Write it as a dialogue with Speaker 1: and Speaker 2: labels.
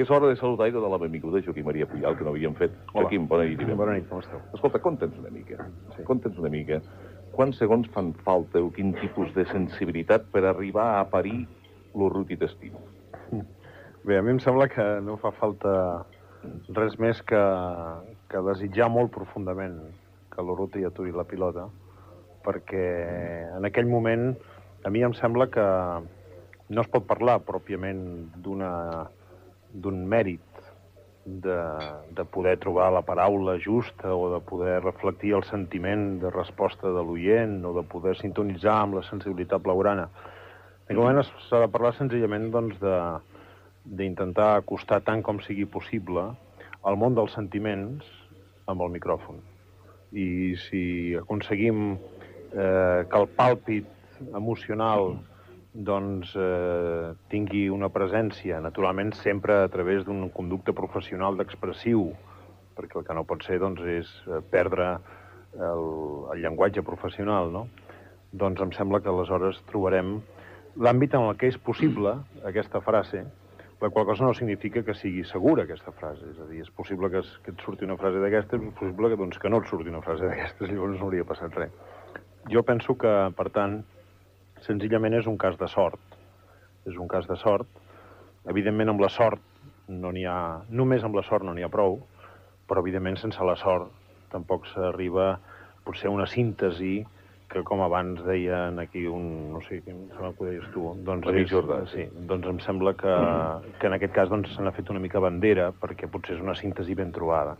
Speaker 1: I és hora de saludar i de donar la benvinguda a Joaquim Maria Pujal, que no havíem fet.
Speaker 2: Hola.
Speaker 1: Joaquim, bona nit.
Speaker 2: Bona nit, com esteu?
Speaker 1: Escolta, conta'ns una mica.
Speaker 2: Sí.
Speaker 1: Conta'ns una mica. Quants segons fan falta o quin tipus de sensibilitat per arribar a parir l'Urruti t'estimo?
Speaker 2: Bé, a mi em sembla que no fa falta res més que desitjar molt profundament que l'Urruti aturi la pilota, perquè en aquell moment a mi em sembla que no es pot parlar pròpiament d'un mèrit de poder trobar la paraula justa o de poder reflectir el sentiment de resposta de l'oient o de poder sintonitzar amb la sensibilitat blaugrana. En aquell moment s'ha de parlar senzillament doncs, d'intentar acostar tant com sigui possible al món dels sentiments amb el micròfon. I si aconseguim que el pàlpit emocional doncs tingui una presència, naturalment sempre a través d'un conducte professional d'expressiu, perquè el que no pot ser doncs, és perdre el llenguatge professional, no? Doncs em sembla que aleshores trobarem l'àmbit en el que és possible aquesta frase, la qual cosa no significa que sigui segura aquesta frase, és a dir, és possible que et surti una frase d'aquestes, és possible que no et surti una frase d'aquestes, llavors no hauria passat res. Jo penso que, per tant, senzillament és un cas de sort. És un cas de sort. Evidentment, amb la sort no n'hi ha... Només amb la sort no n'hi ha prou, però, evidentment, sense la sort tampoc s'arriba potser a una síntesi que, com abans deien aquí no sé, em sembla que ho deies tu, doncs
Speaker 1: L'amic Jordà.
Speaker 2: Sí, doncs em sembla que en aquest cas se n'ha fet una mica bandera, perquè potser és una síntesi ben trobada.